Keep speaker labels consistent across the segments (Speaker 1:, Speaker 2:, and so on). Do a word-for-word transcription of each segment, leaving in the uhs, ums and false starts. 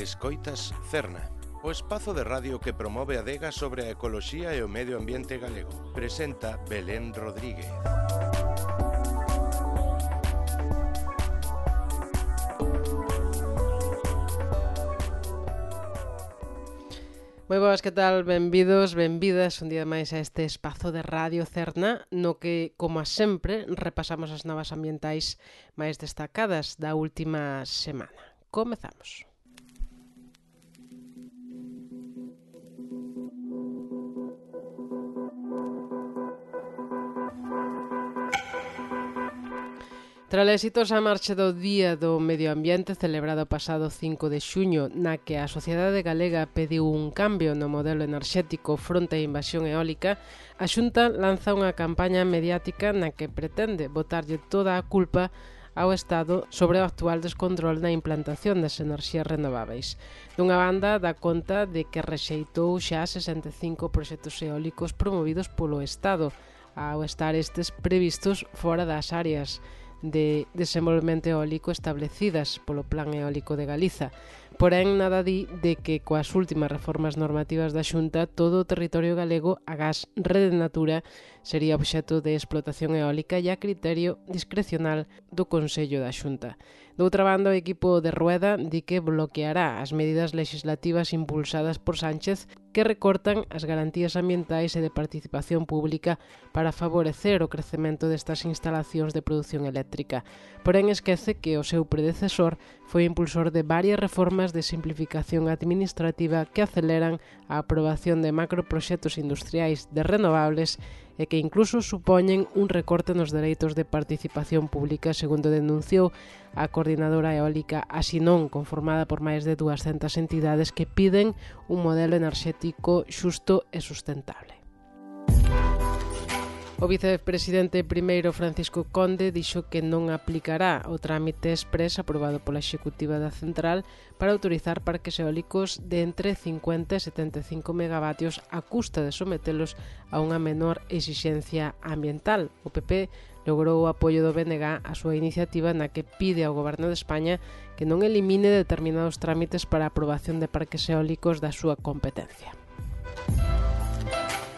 Speaker 1: Escoitas Cerna, o espazo de radio que promove a adega sobre a ecoloxía e o medio ambiente galego. Presenta Belén Rodríguez.
Speaker 2: Moi boas, que tal? Benvidos, benvidas un día máis a este espazo de Radio Cerna, no que, como a sempre, repasamos as novas ambientais máis destacadas da última semana. Comezamos. Tras a exitosa marcha do Día do Medio Ambiente celebrado o pasado cinco de xuño, na que a sociedade galega pediu un cambio no modelo enerxético fronte á invasión eólica, a Xunta lanza unha campaña mediática na que pretende botarlle toda a culpa ao Estado sobre o actual descontrol na implantación das enerxías renováveis. Dunha banda, dá conta de que rexeitou xa sesenta e cinco proxectos eólicos promovidos polo Estado, ao estar estes previstos fora das áreas de desenvolvemento eólico establecidas polo Plan Eólico de Galiza. Porén, nada di de que coas últimas reformas normativas da Xunta todo o territorio galego agás Rede Natura sería obxecto de explotación eólica e a criterio discrecional do Consello da Xunta. Doutra banda, o equipo de Rueda di que bloqueará as medidas legislativas impulsadas por Sánchez que recortan as garantías ambientais e de participación pública para favorecer o crecemento destas instalacións de produción eléctrica. Porén, esquece que o seu predecesor foi impulsor de varias reformas de simplificación administrativa que aceleran a aprobación de macroproxectos industriais de renovables e que incluso supoñen un recorte nos dereitos de participación pública, segundo denunciou a coordinadora eólica Asinón, conformada por máis de duascentas entidades que piden un modelo enerxético xusto e sustentable. O vicepresidente primeiro Francisco Conde dixo que non aplicará o trámite exprés aprobado pola Executiva da Central para autorizar parques eólicos de entre cincuenta e setenta e cinco megavatios a custa de sometelos a unha menor exixencia ambiental. O P P logrou o apoio do B N G a súa iniciativa na que pide ao Goberno de España que non elimine determinados trámites para a aprobación de parques eólicos da súa competencia.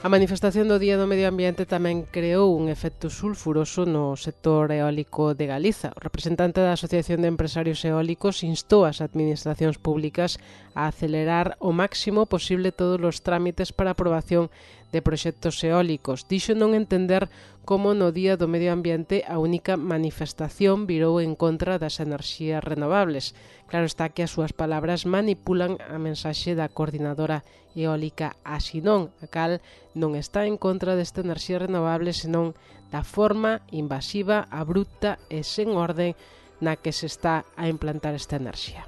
Speaker 2: A manifestación do Día do Medio Ambiente tamén creou un efecto sulfuroso no sector eólico de Galiza. O representante da Asociación de Empresarios Eólicos instou as administracións públicas a acelerar o máximo posible todos os trámites para a aprobación de proxectos eólicos. Dixo non entender como no Día do Medio Ambiente a única manifestación virou en contra das enerxías renovables. Claro está que as súas palabras manipulan a mensaxe da coordinadora eólica Asinón, a cal non está en contra desta enerxía renovable, senón da forma invasiva, abrupta e sen orde na que se está a implantar esta enerxía.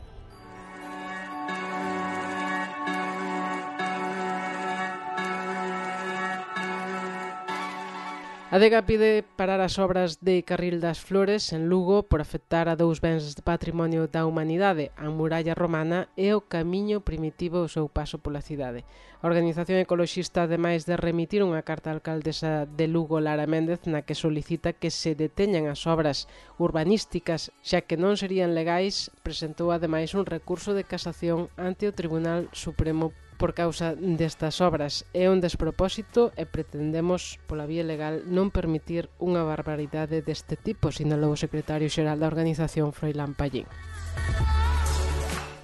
Speaker 2: A Adega pide parar as obras de Carril das Flores en Lugo por afectar a dous bens de patrimonio da humanidade, a muralla romana e o camiño primitivo ao seu paso pola cidade. A organización ecoloxista, ademais de remitir unha carta á alcaldesa de Lugo, Lara Méndez, na que solicita que se deteñan as obras urbanísticas, xa que non serían legais, presentou ademais un recurso de casación ante o Tribunal Supremo por causa destas obras. É un despropósito e pretendemos, pola vía legal, non permitir unha barbaridade deste tipo, sinalou o secretario xeral da organización, Froilán Pallín.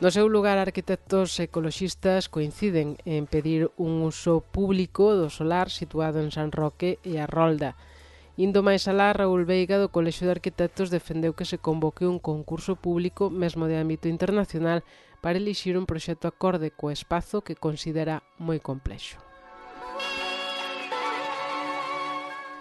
Speaker 2: No seu lugar, arquitectos ecoloxistas coinciden en pedir un uso público do solar situado en San Roque e a Rolda. Indo máis alá, Raúl Veiga, do Colexio de Arquitectos, defendeu que se convoque un concurso público, mesmo de ámbito internacional, para elixir un proxecto acorde co espazo que considera moi complexo.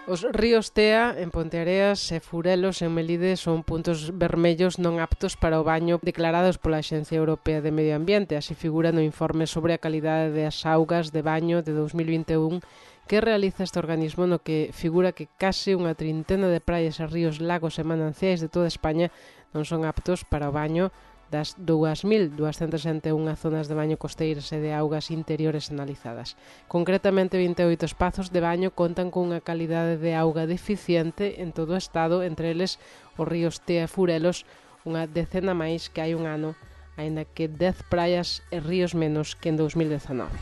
Speaker 2: Os ríos Tea, en Ponteareas e Furelos, en Melide, son puntos vermellos non aptos para o baño declarados pola Axencia Europea de Medio Ambiente. Así figura no informe sobre a calidade das augas de baño de dous mil vinte e un que realiza este organismo, no que figura que case unha trintena de praias e ríos, lagos e mananciais de toda España non son aptos para o baño das dúas mil duascentas e unha zonas de baño costeiras e de augas interiores analizadas. Concretamente, vinte e oito espazos de baño contan con unha calidade de auga deficiente en todo o estado, entre eles os ríos Tea e Furelos, unha decena máis que hai un ano aínda que dez praias e ríos menos que en dous mil dezanove.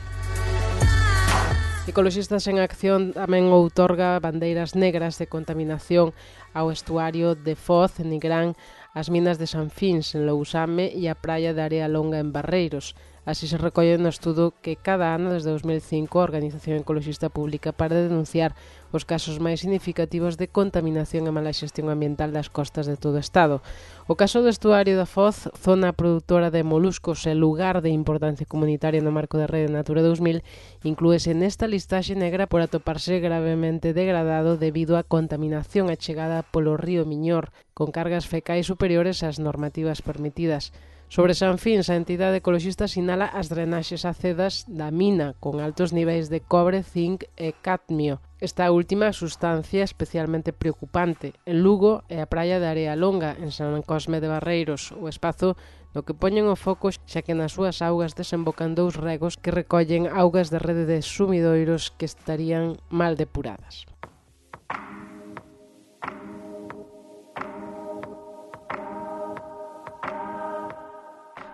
Speaker 2: Ecoloxistas en Acción tamén outorga bandeiras negras de contaminación ao estuario de Foz, en Nigrán, as minas de San Fins, en Lousame, e a praia de Area Longa, en Barreiros. Así se recolle no estudo que cada ano, desde dous mil cinco, a Organización Ecoloxista publica para denunciar os casos máis significativos de contaminación e mala xestión ambiental das costas de todo o Estado. O caso do estuario da Foz, zona produtora de moluscos e lugar de importancia comunitaria no marco da Rede Natura dous mil, inclúese nesta listaxe negra por atoparse gravemente degradado debido á contaminación achegada polo río Miñor, con cargas fecais superiores ás normativas permitidas. Sobre San Fins, a entidade ecoloxista sinala as drenaxes acedas da mina, con altos niveis de cobre, zinc e cadmio. Esta última sustancia especialmente preocupante. En Lugo é a praia de Area Longa, en San Cosme de Barreiros, o espazo no que poñen o foco xa que nas súas augas desembocan dous regos que recollen augas de rede de sumidoiros que estarían mal depuradas.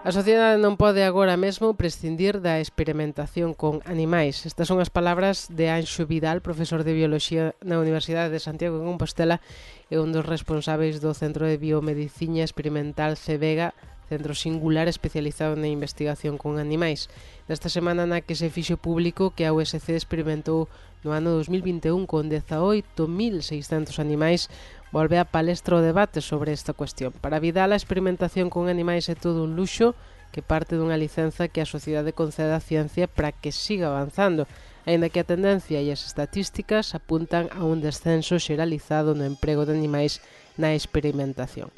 Speaker 2: A sociedade non pode agora mesmo prescindir da experimentación con animais. Estas son as palabras de Anxo Vidal, profesor de Bioloxía na Universidade de Santiago de Compostela e un dos responsáveis do Centro de Biomedicina Experimental CEVEGA, centro singular especializado na investigación con animais. Nesta semana na que se fixo público que a U S C experimentou no ano dos mil vinte e un con dezaoito mil seiscentos animais, volve a palestra o debate sobre esta cuestión. Para Vidal, a experimentación con animais é todo un luxo que parte dunha licenza que a sociedade concede á ciencia para que siga avanzando, aínda que a tendencia e as estatísticas apuntan a un descenso xeralizado no emprego de animais na experimentación.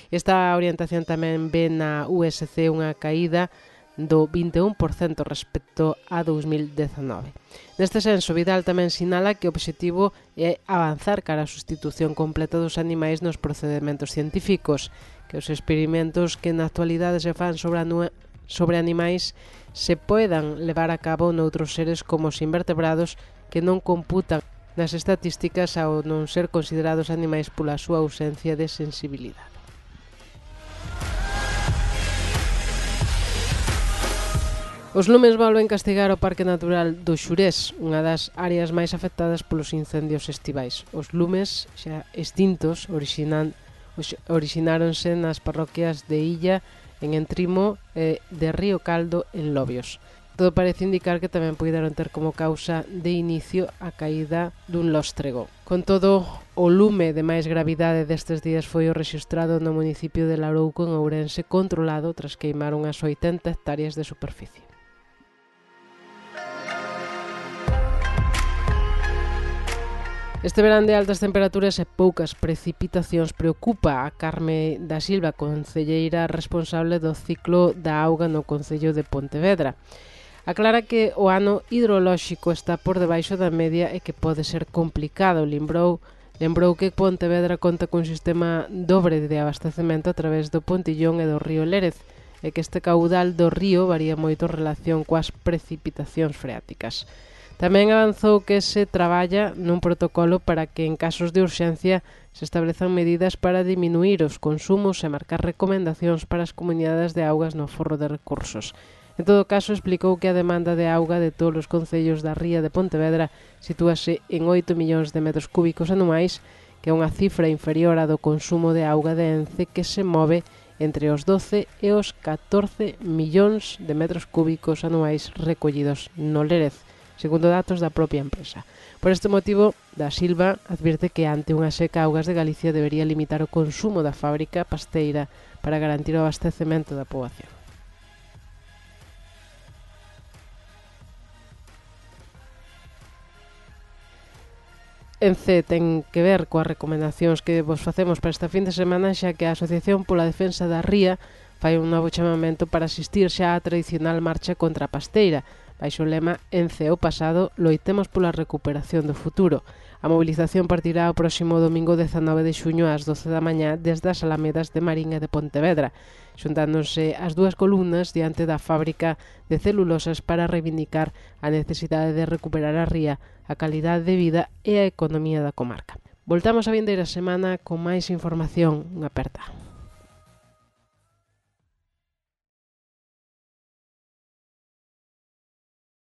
Speaker 2: Esta orientación tamén ve na U S C unha caída do vinte e un por cento respecto a dous mil dezanove. Neste senso, Vidal tamén sinala que o obxectivo é avanzar cara á sustitución completa dos animais nos procedementos científicos, que os experimentos que na actualidade se fan sobre, sobre animais se poidan levar a cabo noutros seres como os invertebrados que non computan nas estatísticas ao non ser considerados animais pola súa ausencia de sensibilidade. Os lumes volven castigar o Parque Natural do Xurés, unha das áreas máis afectadas polos incendios estivais. Os lumes xa extintos orixinan, orixináronse nas parroquias de Illa, en Entrimo, e de Río Caldo, en Lobios. Todo parece indicar que tamén puideron ter como causa de inicio a caída dun lóstrego. Con todo, o lume de máis gravidade destes días foi o rexistrado no municipio de Larouco, en Ourense, controlado tras queimar unhas oitenta hectáreas de superficie. Este verán de altas temperaturas e poucas precipitacións preocupa a Carme da Silva, concelleira responsable do ciclo da auga no Concello de Pontevedra. Aclara que o ano hidrolóxico está por debaixo da media e que pode ser complicado. Lembrou, lembrou que Pontevedra conta cun sistema dobre de abastecemento a través do Pontillón e do río Lérez, e que este caudal do río varía moito en relación coas precipitacións freáticas. Tamén avanzou que se traballa nun protocolo para que en casos de urxencia se establezan medidas para diminuir os consumos e marcar recomendacións para as comunidades de augas no forro de recursos. En todo caso, explicou que a demanda de auga de todos os concellos da ría de Pontevedra sitúase en oito millóns de metros cúbicos anuais, que é unha cifra inferior á do consumo de auga de Ence, que se move entre os doce e os catorce millóns de metros cúbicos anuais recollidos no Lérez, segundo datos da propia empresa. Por este motivo, Da Silva advirte que ante unha seca Augas de Galicia debería limitar o consumo da fábrica pasteira para garantir o abastecemento da poboación. Ence ten que ver coas recomendacións que vos facemos para esta fin de semana, xa que a Asociación pola Defensa da Ría fai un novo chamamento para asistir xa á tradicional marcha contra a pasteira, baixo o lema Ence o pasado, loitemos pola recuperación do futuro. A mobilización partirá o próximo domingo dezanove de xuño ás doce da mañá desde as Alamedas de Marín e de Pontevedra, xuntándose as dúas columnas diante da fábrica de celulosas para reivindicar a necesidade de recuperar a ría, a calidade de vida e a economía da comarca. Voltamos a vindeira semana con máis información. Unha aperta.